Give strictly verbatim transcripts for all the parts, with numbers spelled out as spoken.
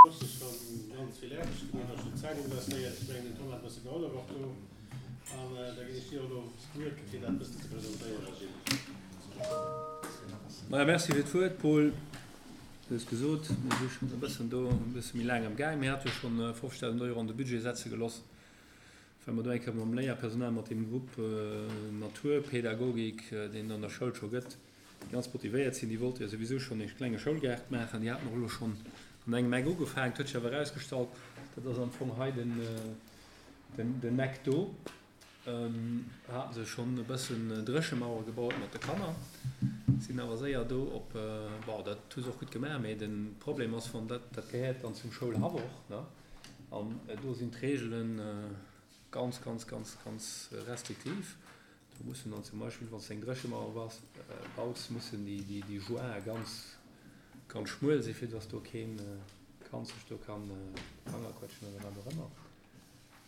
Ass schonn ganz vill Aarbecht gemaach, ass schonn Zäit investéiert. Ech mengen, den Tom hat e bësse gehollef och do. An da ginn ech dir och elo d'Wuert, fir dat e bëssen ze presentéieren, Gilles. Maja, merci fir d'Wuert, Paul. Du hues gesot, mir si schonn e bëssen do, e bësse méi laang am Gaang. Mir hate jo schonn fofzegdausend Euro an de Budget setze geloss, well mer do eng Kéier mam Léierpersonal, mat deem Grupp Naturpädagogik, deen et an der Schoul scho gëtt, déi ganz motivéiert sinn, déi wollte jo souwisou schonn ee klenge Schoulgaart maachen. Déi haten och elo schonn an engem Eck ugefaangen. Et huet sech awer erausgestallt, dat ass am Fong hei den, den Eck do, hate se schonn e bëssen Dréchemauere gebaut mat de Kanner, sinn awer séier do op, bon, dat hu se och gutt gemaach, mee de Problem ass, wann dat, dat gehéiert dann zum Schoulhaff och, ne, an do sinn d'Reegele ganz, ganz, ganz, ganz restriktiv. Do mussen dann zum Beispill, wann s de eng Dréchemauer bass, baus, mussen déi, déi, déi Jointë ganz, ganz schmuel sinn, fir dass do kee Kand sech do kann de Fanger quetschen oder wat och ëmmer.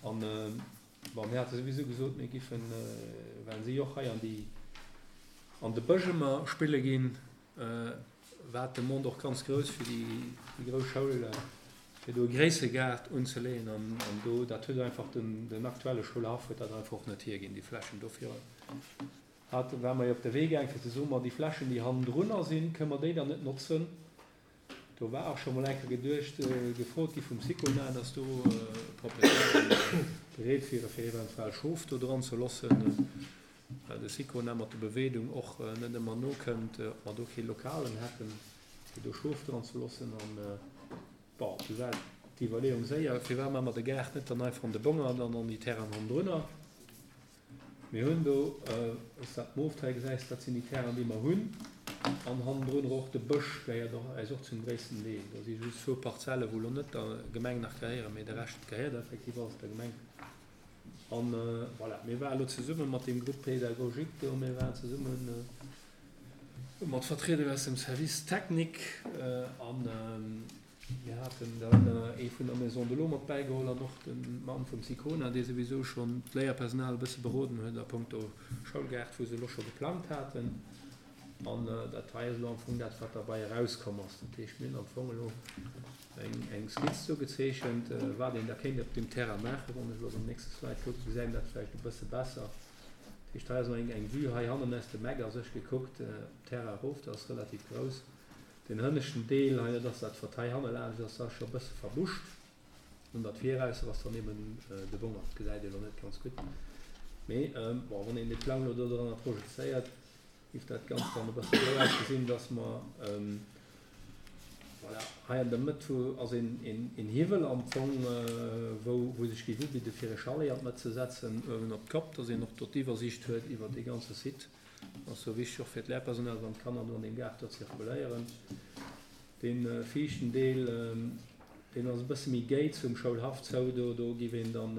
An, bon, mir hate souwisou gesot, mir giffen, well si och hei an déi, an de Bësch ëmmer spille ginn, war d'Demande och ganz grouss fir déi, déi grouss Schoul, fir do e gréissere Gaart unzeleeën. An, an do, dat huet einfach den, den aktuelle Schoulhaff huet dat einfach och net hierginn, déi Flächen. Dofir hate, ware mer jo op de Wee gaang fir ze soen, ma déi Flächen, déi hannendrunner sinn, kënne mer déi dann net notzen? Do war och scho mol eng Kéier geduecht, gefrot gi vum Sicona, dass do Proprietären bereet wiere fir eventuell Schof do dran ze loossen, well de Sicona mat der Beweedung och net ëmmer nokënnt, ob mer do kee Lokalen hätten, fir do Schof dran ze loossen. An, bon, du war d'Iwwerleeung séier, firwat maache mer de Gaart net dann einfach an de Bongert an an déi Terrainen hannendrunner? Mir hunn do, wann s de dat mooft hei gesäis, dat sinn déi Terrainen, déi mer hunn. An hannendrun och de Bësch gehéiert och eis och zum gréissten Deel. Do si just zwou Parzelle wou elo net der Gemeng nach gehéieren, mee de Rescht gehéiert effektiv alles der Gemeng. An voilà, mir ware lo zesumme mat deem Groupe pédagogique do, mir waren zesumme mat Vertrieder aus dem Service technique an Mir haten dann ee vun der Maison de l'Eau mat bäigeholl an och de Mann vum Sicona, dee souwisou schonn d'Léierpersonal e bësse beroden huet a punkto Schoulgaart, wou se elo scho geplangt haten. An dat hei ass elo am Fong dat, wat derbei erauskomm ass. Dat heescht, mir hunn am Fong elo eng Skizz do gezeechent, wat een da kéint op deem Terrain maachen. Wann ech elo op den nächste Slide kucken, gesäit een dat vläicht e bësse besser. Dat heescht, hei ass elo eng Vue hei hannen aus dem Eck a sech gekuckt op Terrain erof. Dat ass relativ grouss. Deen hënneschten Deel hei, dat ass dat wat hei hanne laanscht ass, ass scho e bësse verbuscht. An dat virausser ass dann eben de Bongert. Dat gesäit ee lo net ganz gutt, mee bon, wann een dee Plang lo do dranner projezéiert, giff dat Ganzt dann e bësse esou ausgesinn, dass mer, voilà, hei an der Mëtt hu ass een een Hiwwel am Fong, wou wou sech géif ubidde fir e Chalet an d'Mëtt ze setzen, uewen op d'Kopp, dass een och do d'Iwwersiicht huet iwwer dee ganze Site. Ass jo wichteg och fir d'Lehrpersonal, wann d'Kanner do an deem Gaart do zirkuléieren. Dee viischten Deel, deen ass e bësse méi géi zum Schoulhaff zou, do do giff een dann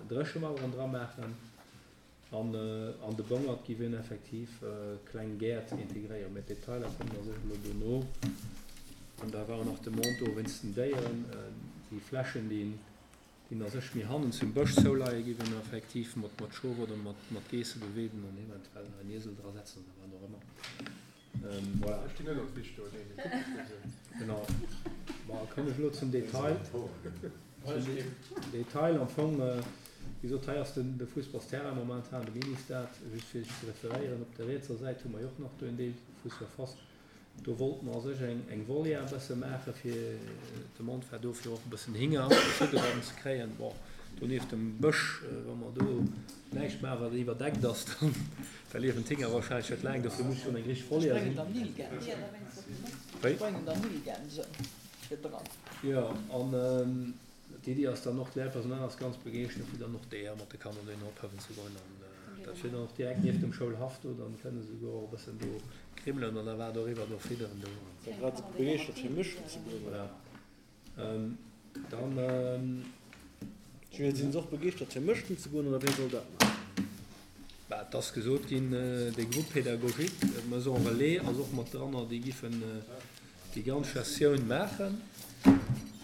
Dréchemaueren dra maachen an an de Bongert giff een effektiv kleng Gäert integréieren. Mä d'Detailer kommen a sech elo dono. An da war och nach d'Demande do wéinst den Déieren, déi Flächen, déi Déi a sech méi hannen zum Bësch zouleie giff een effektiv mat mat Schof oder mat mat Geesse beweeden an eventuell nach en Iesel dra setzen oder wat och ëmmer. Voilà. Ech ginn net op d'Wiss do, nee, mee kuck dech esou. Genau. Bon, kommen ech elo zum Detail. Zum Detail am Fong, wéi gesot, hei ass den de Fussballsterrain momentan, de Ministade, just fir sech ze referéieren. Op der rietser Säit hu mer jo och nach do en Deel vu Surface. Do wollte mer a sech eng Volière e bësse maache fir d'Demande war do fir och e bëssen Hinger Fudder ze kréien. Bon, do nieft dem Bësch, wa mer do näischt maachen, wat iwwerdeckt ass, dann da liewen d'Hinger wahrscheinlech net laang. Dofir muss schonn eng richteg Volière sinn. Jo, an d'Iddi ass dann och, d'Léierpersonal ass ganz begeeschtert, fir dann och d'Eeër mat de Kanner dohinner ophëwen ze goen. An dat wier dann och direkt nieft dem Schoulhaff do, dann kënne se souguer och e bëssen do krimmelen oder wat och iwwer do fidderen do. War grad esou begeeschtert fir mech ze goen. Voilà. Dann. Julien, sinn se och begeeschtert fir mëschten ze goen oder wien soll dat maachen? Bah, et ass gesot ginn, de Groupe pédagogique, d'Maison relais ass och mat dranner, déi giffen déi ganz Gestioun maachen.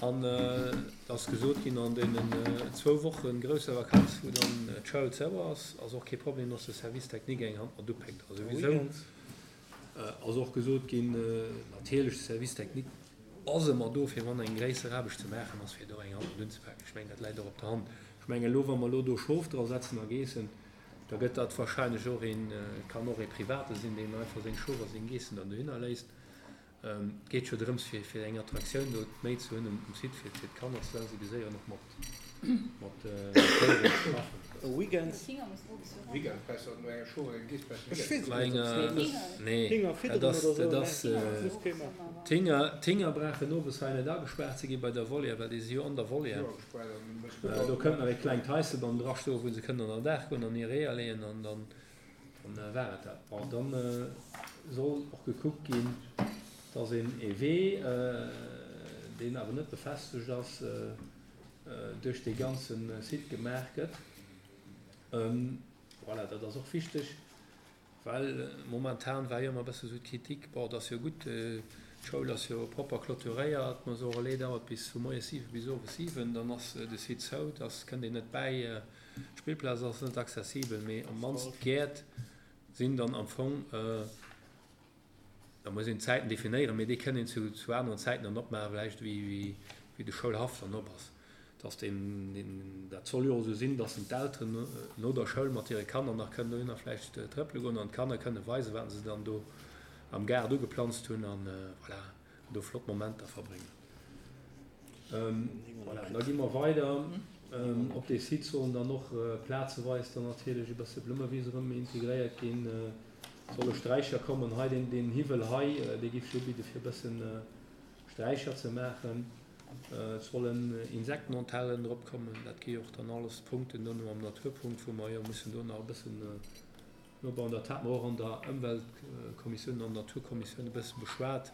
An et ass gesot ginn, an deenen zwou Woche grousser Vakanz, wou dann d'Schoul zou ass, ass och kee Problem, dass de Service technique eng Hand mat upéckt. A souwisou ass och gesot ginn, natierlech de Service technique ass ëmmer do, fir wann eng gréisser Aarbecht ze maachen ass, fir do eng Hand mat unzepaken. Ech mengen, dat läit och op der Hand. Ech mengen elo, wa mer elo do Schof dra setzen a Geessen, da gëtt dat wahrscheinlech och een, kann och ee Private sinn, deen einfach seng Schof a seng Geessen dann dohinner léisst. Et geet jo drëms, fir, fir eng Attraktioun do méi ze hunn um Site, fir, fir d'Kanner ze sensibiliséieren, och mat, mat Déieren ze schaffen. E Weekend. Ech weess et net, ob s de Nee, Hinger dat fidderen ass, oder dat sou, ass, nee, muss kee maachen. d'Hinger, d'Hinger brauchen owes hei net agespaart ze gi bei der Volière, well déi si jo an der Volière. Do kënnt nach e klengt Haisel dann drastoen, wou se kënnen an den Daach goen an hir Eeër leeën an dann, dann war et dat. Bon, dann soll och gekuckt ginn, dass een ee Wee, deen awer net befestegt ass, duerch dee ganze Site gemaach gëtt. Voilà, dat ass och wichteg, well momentan war jo ëmmer e bësse sou d'Kritik, bon, et ass jo gutt, d'Schoul ass jo propper clôturéiert, ma so relais dauert bis vu moies siwe bis owes siwen, dann ass de Site zou, da kënnt een net bäi, d'Spillplaz ass net accessibel, mee am mannst d'Gäert sinn dann am Fong, da muss een d'Zäiten definéieren, mee déi kënn een zu zu aneren Zäiten dann opmaachen, vläicht wéi wéi de Schoulhaff dann op ass. Dass deen, deen, dat soll jo och esou sinn, dass d'Elteren no der Schoul mat hire Kanner nach kënnen dohinner vläicht trëppele goen an d'Kanner kënne weisen, wat se dann do am Gaart ugeplanzt hunn an voilà, do flott Momenter verbréngen. Voilà, da gi mer weider. Op dee Site sollen dann och plazeweis dann natierlech e bësse Blummewise erëm integréiert ginn, solle Sträicher kommen. Hei deen, deen Hiwwel hei, dee géif sech ubidde fir e bëssen Sträicher ze maachen. Et sollen Insektenhotellen drop kommen. Dat gi och dann alles Punkten dono am Naturpunkt, wou mer jo mussen do nach e bëssen nobauen. Dat hate mer och an der Ëmweltkommissioun an Naturkommissioun e bësse beschwat.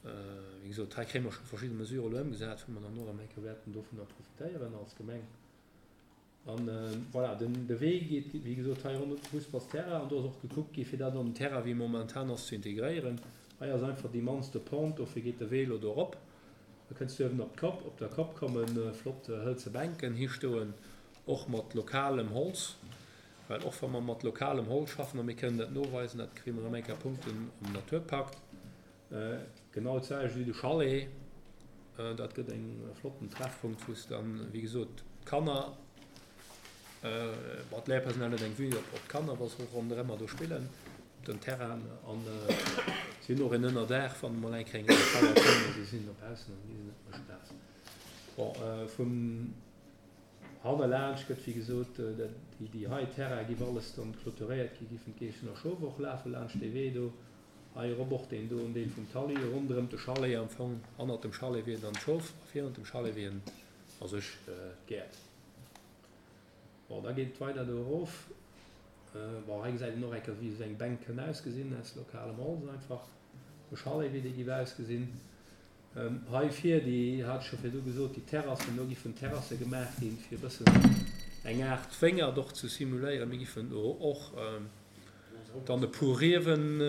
Wéi gesot, hei kréie mer scho verschidde Mesurë elo ëmgesat, wou mer dann och erëm eng Kéier wäerten dovunner profitéieren als Gemeng. An voilà, den, de Wee geet, wéi gesot, hei ronderëm de Fussballsterrain an do ass och gekuckt gi fir dat an den Terrain, wéi e momentan ass, ze integréieren. Hei ass einfach déi mannste Pente, dofir geet de Wee elo do erop. Da kënns du uewen op d'Kopp. Op der Kopp komme flott hëlze Bänken histoen, och mat lokalem Holz, well och wa mer mat lokalem Holz schaffen, a mir kënnen dat noweisen, dat kréie mer erëm eng Kéier Punkten am Naturpakt, Genau d'selwecht wéi de Chalet. Dat gëtt eng flotten Treffpunkt, wou s dann, wéi gesot, d'Kanner, bon, d'Léierpersonal huet eng Vue op d'Kanner, wa se och ronderëmmer do spillen op den Terrainen. An si hunn och en Ënnerdaach, wann emol eng Kéier eng grouss Feier kënnt a si sinn dobaussen, dann gi se net méi spaass. Bon, vum hannerlaanscht gëtt, wéi gesot, déi hei Terraine giff alles dann clôturéiert gi, giffen d'Geessen a Schof och lafe laanscht dee Wee do. Hei erop och deen doen Deel vum Talli, ronderëm de Chalet am Fong, hannert dem Chalet wier dann d'Schof a virun dem Chalet wieren a sech d'Gäert. Bon, da geet et weider do erof. Bon, hei gesäit een och eng Kéier wéi esou eng Bänk kënn ausgesinn aus lokalem Holz einfach, de Chalet wéi dee giff ausgesinn. Hei vir, déi hat ech scho virdu gesot, déi Terrassen, do giffen Terrasse gemaach ginn fir e bëssen eng Aart Wéngert och ze simuléieren. Mir giffen do och Dann e puer Riewen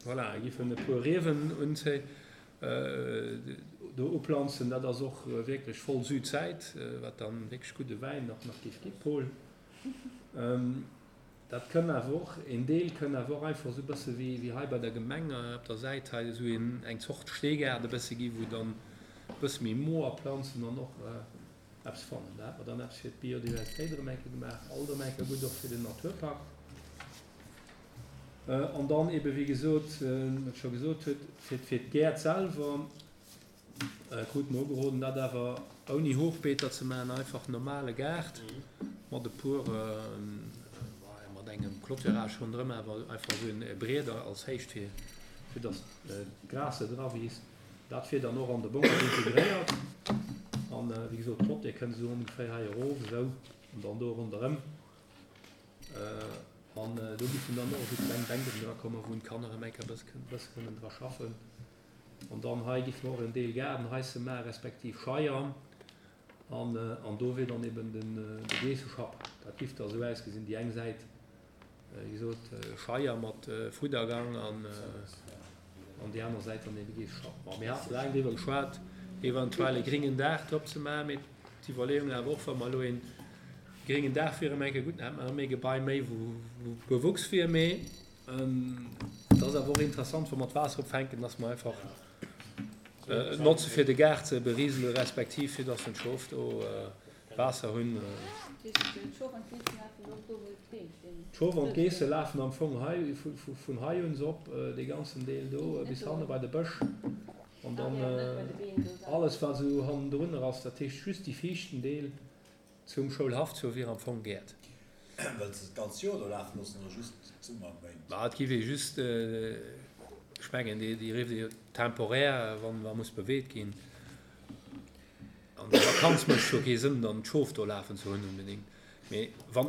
voilà, giffen e puer Riewen unzéi do uplanzen. Dat ass och wierklech voll Südsäit, wat dann wierklech gudde Wäin och nach géif gi, Paul. Dat kënn awer och, een Deel kënn awer och einfach esou e bësse wéi wéi hei bei der Gemeng op der Säit hei esou een eng Zort Steegaart e bësse gi, wou dann e bësse méi moer Planzen an och Eppes fannen. Da hat mer dann eppes fir d'Biodiversitéit erëm eng Kéier gemaach, alt erëm eng Kéier gutt och fir den Naturpakt. An dann eebe wéi gesot, wat ech scho gesot huet, fir fir d'Gäert selwer krute mer ugeroden, dat awer ouni Hochbeeter ze maachen, einfach normale Gaart mat e puer, mat engem Clôturage ronderëm, awer einfach esou e Brieder als Héicht fir fir datt d'Gras net erawiisst. Dat wier dann och an de Bongert integréiert. An wéi gesot, d'Clôture kënnt esou ongeféier hei erof, esou, an dann do ronderëm. An do giffen dann och esou kleng Bänken dra kommen, wou d'Kanner erëm eng Kéier e bësse kënnen dra schaffen. An dann hei giffe mer och en Deel Gaardenhaisse maachen, respektiv Scheier. An, an do wier dann eben den, de Geesseschapp. Dat giff da esou ausgesinn, déi eng Säit, wéi gesot, Scheier mat Fuddergang an, an déi aner Säit dann eben Geesseschapp. Bon, mir hate laang driwwer geschwat, eventuell e gringen Daach drop ze maachen, mee d'Iwwerleeung awer och, wa mer elo ee gringen Daach wier erëm eng Kéier gutt, dann hätte mer erëm ee Gebai méi, wou, wou Bewuchs wier, mee Et ass awer och interessant, wa mer d'Waasser opfänken, dass mer einfach et notze fir de Gaart ze berisele respektiv fir dass den Schof do Waasser hunn. D'Schof an d'Geesse lafen am Fong hei vun hei un op, dee ganzen Deel do bis hanne bei de Bësch an dann alles wat esou hannendrunner ass, dat heescht just déi viischten Deel zum Schoulhaff zou wier am Fong Gäert. Wëlls de d'ganz Joer do lafe loossen oder just d'Summerméint? Ma et giff ee just, ech mengen déi rifft ee jo temporär, wann wa muss beweet ginn. An der Vakanz mécht jo kee Sënn dann d'Schof do lafen ze hunn onbedéngt. Mee wann,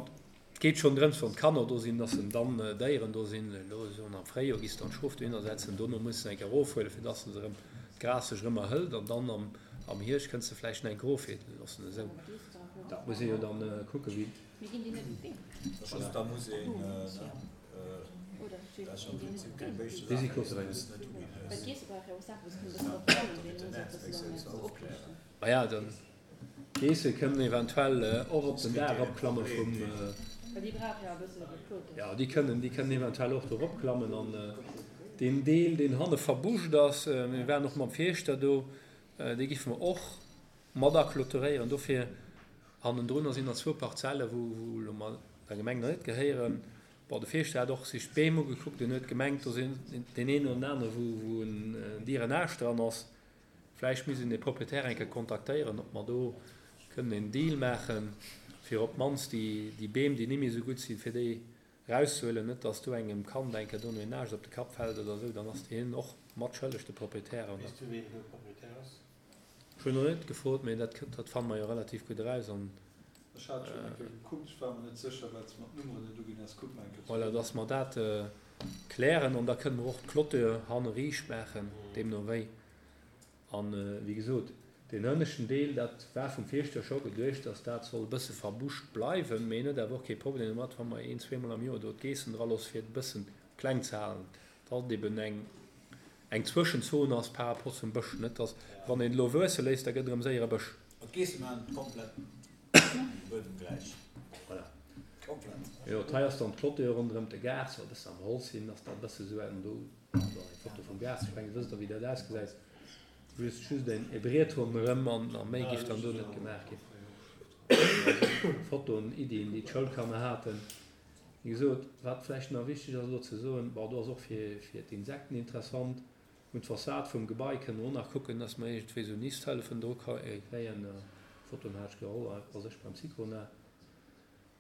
et geet schonn drëms, wann d'Kanner do sinn, dass en dann Déieren do sinn. Elo soen am Fréijoer giss dann d'Schof dohinner setzen, dono muss se eng Kéier erofhuelen, fir dass se erëm d'Gras sech erëm erhëlt an dann am am Hierscht kënns de vläicht nach eng Kéier erofheelen loossen. Esou, dat muss ee jo dann kucken, wéi. Mir ginn déi net un d'Been. Da muss een, dat ass jo am Prinzip keng béischte Saach, mee se mussen net uginn. Well d'Geesse brauche jo och Saachen, wou se kënnen e bëssen drop klammen, deemno sollt dat se dann net opriichten. Maja, dann d'Geesse kënnen eventuell och op den Daach eropklamme vum. Well déi brauche jo e bëssen op e Kloten. Jo, déi kënnen, déi kënnen eventuell och do eropklammen. An deen Deel, deen hanne verbuscht ass, mir waren och mam Fierschter do, dee giffe mer och mat aclôturéieren. Dofir hannendrunner sinn nach zwou Parzelle wou elo mer der Gemeng nach net gehéieren. Bon, de Fierschter hat och sech d'Beem ugekuckt, en huet gemengt, do sinn deen een oder den anere wou en Dierenaascht dran ass. Vläicht misst een dee Proprietär eng Kéier kontaktéieren, ob mer do kënnen en Deal maachen, fir op d'mannst déi Beem, déi net méi esou gutt sinn, fir déi erauszehuelen. Net dass do engem Kand eng Kéier dono en Aascht op de Kapp fält oder esou, dann ass deen och mat schëlleg, de Proprietär. Weess du, ween do Proprietär ass? Ech hunn nach net gefrot, mee dat dat fanne mer jo relativ gutt eraus an. Ech hat schonn eng Kéier gekuckt, ech war mer net sécher, well s de mer d'Nummeren net uginn has. Kuck mer eng Kéier Voilà, zesumme. dass mer dat klären an da kënne mer och d'Clôture hanne riicht maachen, deemno wéi. An, wéi gesot, deen hënneschten Deel, dat war vum Fierschter scho geduecht, dass dat soll e bësse verbuscht bleiwen, mee en huet awer och kee Problem domat, wa mer een-, zweemol am Joer do d'Geessen draloosse fir et e bëssen kleng ze halen. Datt et eben eng eng Zwëschenzon ass par rapport zum Bësch, net datt wann een elo wuesse léisst, da gëtt erëm séier e Bësch. Ma d'Geesse maachen et komplett dem Buedem gläich. Voilà. Komplett. Jo, hei ass dann d'Clôture ronderëm de Gaart, soll e bëssen am Holz sinn, ass da e bësse sou eng do, do eng Foto vum Gaart, ech mengen, wësst Der wéi dat ausgesäit, just just en e Briet ronderëm an a méi giff dann do net gemaach ginn. Fotoen, Iddien, déi d'Schoulkanner haten. Wéi gesot, wat vläicht nach wichteg ass elo ze soen, bon, do ass och fir, fir d'Insekten interessant, un d'Fassad vum Gebai kënne mer och nach kucken, dass mer iergendwéi esou Nisthëllefen dru kréien. Fotoen hat ech geholl a sech beim Sicona.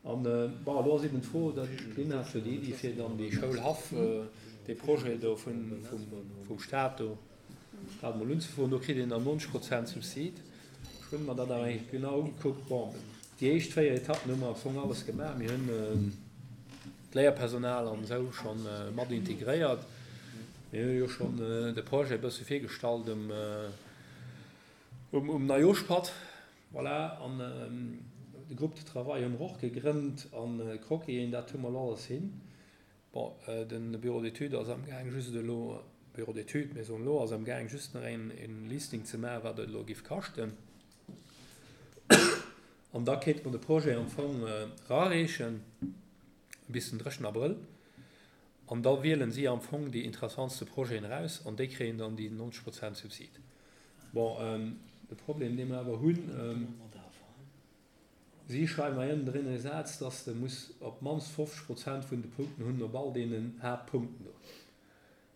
An, bon, elo ass eben d'Fro, dat d'Lynn hat jo déi Iddi, fir dann dee Schoulhaff, dee Projet do vun, vum, vum Stat do, dat emol unzefroen. Do kritt een dann neunzeg Prozent Subsid. Ech hunn mer dat awer eng Kéier genau ugekuckt. Bon, déi éischt véier Etappen hu mer am Fong alles gemaach. Mir hunn d'Léierpersonal an esou scho mat integréiert. Mir hu jo schonn de Projet e bësse virgestallt um, um Neijooschpatt. Voilà, an de Groupe de travail hu mer och gegrënnt an d'Croquisen, dat hu mer elo alles hin. Bon, de Bureau d'études ass amgaang just elo, Bureau d'études, mir soen elo, ass amgaang just nach een Listing ze maachen, wat et elo géif kaschten. An da kéinte mer de Projet am Fong erareechen bis den drëschten Abrëll. An da wielen si am Fong déi interessantste Projeten eraus an déi kréien dann déi neunzeg Prozent Subsid. Bon, de Problem, dee mer awer hunn, si schreiwen hei ënnendrinn e Saz, dass de muss op d'mannst fofzeg Prozent vun de Punkten hunn op all deenen Haaptpunkten do.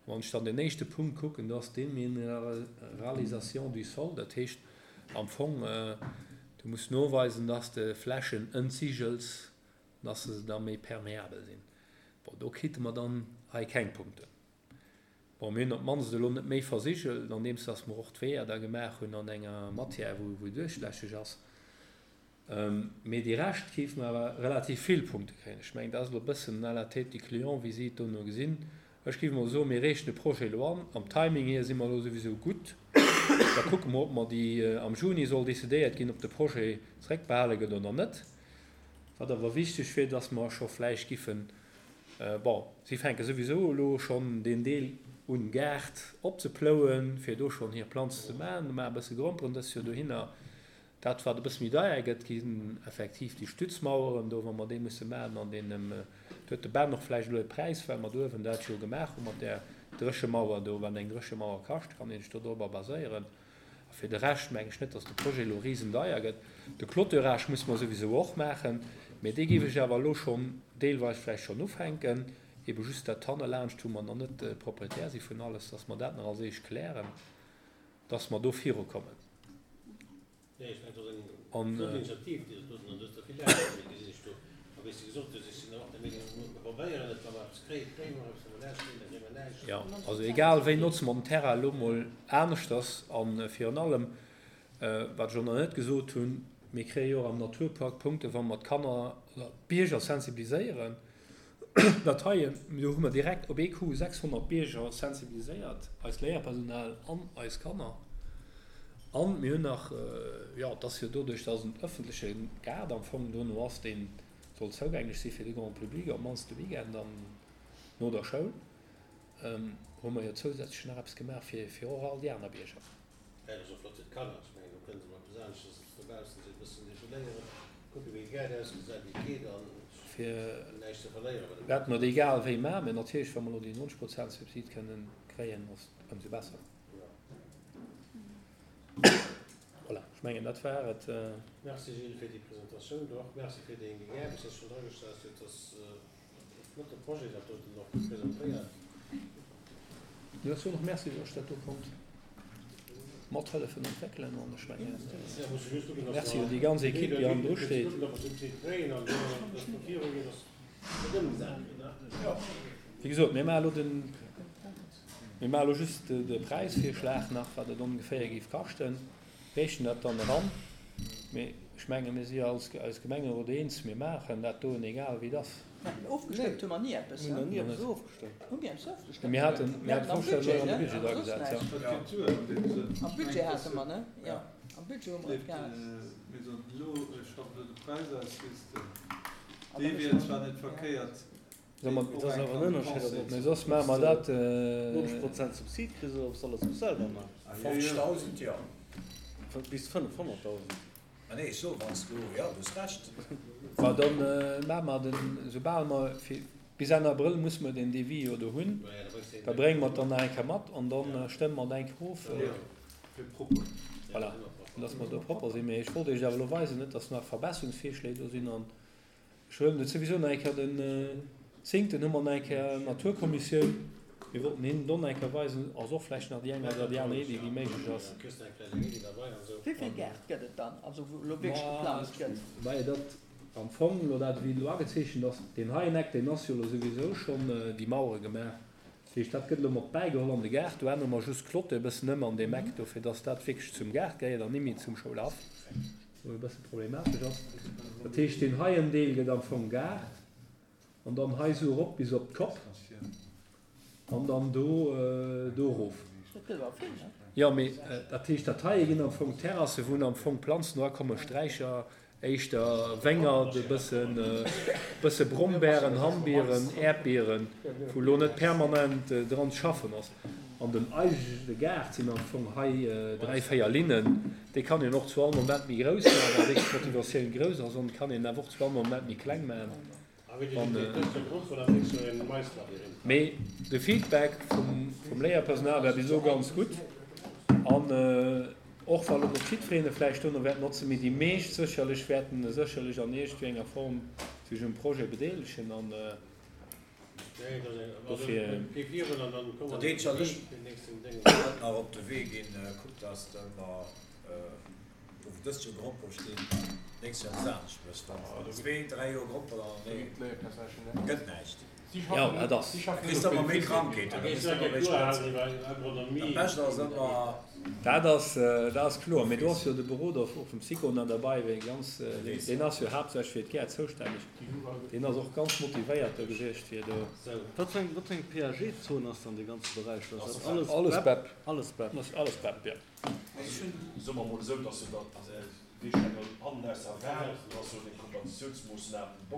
Wann ech dann deen éischte Punkt kucken, do ass d'Déminéralisation du sol, dat heescht am Fong, du muss noweisen, dass de Flächen entsigels, dass se da méi perméabel sinn. Bon, do krite mer dann hei keng Punkten. Bon, mir hunn op d'mannst elo net méi versigelt, andeems dass mer och d'Weeër da gemaach hunn an enger Matière, wou duerchlässeg ass. Mee déi Rescht géife mer awer relativ vill Punkte kréien. Ech mengen, dat ass elo e bëssen à la tête du client, wéi si et dono gesinn. Ech géif emol soen, mir reechen de Projet elo an. Am Timing hier si mer elo souwisou gutt. Da kucke mer, ob mer déi, am Juni soll decidéiert ginn, ob de Projet zeréckbehale gëtt oder net. Wat awer wichteg wier, dass mer scho vläicht giffen, bon, si fänke souwisou elo schonn deen Deel un, Gaart opzeplouen, fir do schonn hir Planzen ze maachen. Maache e bësse Gromperen dëst Joer dohinner. Dat, wat e bësse méi deier gëtt, ginn effektiv déi Stützmaueren do, wa mer déi musse maachen an deenen Do huet de Ben och vläicht elo e Präis, well mer do uewen dat jo gemaach hu mat där Dréchemauer do. Wat eng Dréchemauer kascht, kann ee sech do dorobber baséieren. A fir de Rescht meng ech net, dass de Projet elo risendeier gëtt. De Clôturage muss mer souwisou och maachen, mä dee géif ech awer elo schonn deelweis vläicht schonn ufänken, ebe just dat hannelaanscht, wou mer nach net Proprietär si vun alles, dass mer dat nach als éischt klären, dass mer do virukommen. Nee, ech mengen, dat ass eng An, flott Initiativ, déi Der do hutt, an do ass der vill Aarbecht, mee gesinn ech do. A wéi s de gesot hues, ech sinn och der Meenung, mir probéieren et, wa mer eppes kréien, kréie mer eppes, wa mer näischt kréien, da kréie mer näischt. Jo, also egal wéi notze mer den Terrain elo mol aneschters. A virun allem, wat ech och nach net gesot hunn, mir kréie jo och am Naturpark Punkte wa mer d'Kanner oder d'Bierger sensibiliséieren. Dat heien, do hu mer direkt op ee Coup sechshonnert Bierger sensibiliséiert, eist Léierpersonal an eis Kanner. An mir hunn nach, jo, et ass jo doduerch, dass et en ëffentleche Gaart am Fong dono ass, dee soll zougänglech si fir de Grand public, op d'mannst de Weekend an no der Schoul, hu mer jo zousätzlech nach eppes gemaach fir fir och all déi aner Bierger. Dat ass och flott fir d'Kanner. Ech mengen, do kënne se mol eppes aneschters als dobaussen sinn, e bëssen defouléieren, kucken, wéi de Gaart ausgesäit, wéi et geet an Fir näischt ze verléieren bei dem wat mer egal wéi maachen, mä natierlech, wa mer elo déi neunzeg Prozent Subsid kënnen kréien, ass et ëmsou besser. Voilà, ech mengen, dat war et. Merci Gilles fir déi Presentatioun do. Och merci fir deng Aarbecht, déi s de schonn dragestallt hues. Et ass e flotte Projet, dat doten och gutt presentéiert. Jo, ech soen och Merci, datt ech dat do konnt mathëllefen entwéckelen an ech mengen, Merci un déi ganz Equipe, déi hannendru steet. Wéi gesot, mir maache elo den, mir maache elo just de Präisvirschlag nach, wat et ongeféier géif kaschten, reechen dat dann eran. Mee ech menge mir si jo als eis Gemengerot eens, mir maachen dat doen, egal wéi et ass. Ofgestëmmt hu mer ni eppes. Mir hunn nach ni eppes ofgestëmmt. Hu mir eppes ofgestëmmt? Mir haten, mir haten Am d'Vorstellung Budget, an de ne? Budget Awer soss agesat, ja. näischt. Dat geet duer an deem Sënn. Am Budget hate mer, ne? Jo, am Budget hu mer et gehat. Mir soen elo, ech schaffen elo de Präis aus, weess de. An Dee da wier muss zwar man, net ja. verkéiert, Soll mer, deen Et och ass eng awer en kann Ënnerscheed, Conseil ob mee ze soss maache mer s de dat. neunzeg Prozent Subsid kriss oder ob s de alles muss selwer maachen. Ah, jo, jo. fofzegdausend, jo. Bis fënnefhonnertdausend. Ah nee, ech so, wann s du, jo, du hues Recht. Ma dann maache mer den, soubal mer, fir bis Enn Abrëll musse mer den Devis jo do hunn, da brénge mer et dann nach eng Kéier mat an da stëmme mer et eng Kéier of. Jo, fir propper. Voilà, dass mer do propper sinn. Mee ech wollt Iech awer elo weisen, net dass nach Verbesserungsvirschléi do sinn. An ech huelen et souwisou nach eng Kéier den zéngten hu mer nach eng Kéier Naturkommissioun. Mir wollten hinnen do nach eng Kéier weisen, ass och vläicht nach déi eng oder déi aner Iddi, déi méiglech ass. Wéi vill Gäert gëtt et dann, also wou elo wierklech Ma geplanzt gëtt? well dat am Fong elo dat, wéi elo agezeechent ass, deen heien Eck, deen ass jo elo souwisou schonn déi Mauere gemaach. Dat heescht, dat gëtt elo mat bäigeholl an de Gaart. Do ännere mer just d'Clôture e bëssen ëm an deem Eck do, fir dass dat wierklech zum Gaart gehéiert an nimmi zum Schoulhaff, wou e bësse problematesch ass. Dat heescht, deen heien Deel gëtt am Fong Gaart an dann hei esou erop bis op d'Kopp an dann do do erof. Dat gëtt awer vill, ne? Jo, mee dat heescht, dat heie ginn am Fong Terrassen, wou am Fong Planzen erakommen, Sträicher, éischter Wéngert, e bëssen, bësse Brombeeren, Hammbieren, Äerdbieren, wou elo net permanent dran ze schaffen ass. An den eigentleche Gaart sinn am Fong hei dräi, véier Linnen. Dee kann een och zu all Moment méi grouss maachen, wa wierklech d'Motivatioun grouss ass, an kann een awer och zu all Moment méi kleng maachen. Mee de Feedback vum Léierpersonal war bis elo ganz gutt. An och wa lo net jiddwereen e vläicht dono wäert notzen, mee déi meescht sécherlech wäerten e sécherlech an iergendwéi enger Form sech um Projet bedeelegen. An dofir. Dat eenzegt, wat ech nach op de Wee ginn, kuck, dass de mer, do wou dëst Joer Grompere stinn, d'nächst Joer eppes anescht méchs. Wann s de zwee, dräi Joer Grompere anenee, gëtt näischt. Jo, dat ass. Da kriss de ëmmer méi Krankheeten, da kriss de ëmmer méi Sprëtzen. Dat Bescht ass ëmmer. Dat ass, dat ass kloer. Mee do ass jo de Beroder och vum Sicona derbei, wéi ganz, deen ass jo haaptsächlech fir d'Gäert zoustänneg. Deen ass och ganz motivéiert do gewiescht, fir do. Wat fir eng, wat fir eng P A G-Zon ass dann dee ganze Beräich do? Ass dat alles Alles B E P? B E P. Alles B E P. Ass alles B E P, jo. Soe mer emol esou, dass se dat, wéi ech eng hannen aus der Wal, do ass jo eng Kompensatiounsmoossnam, Bong.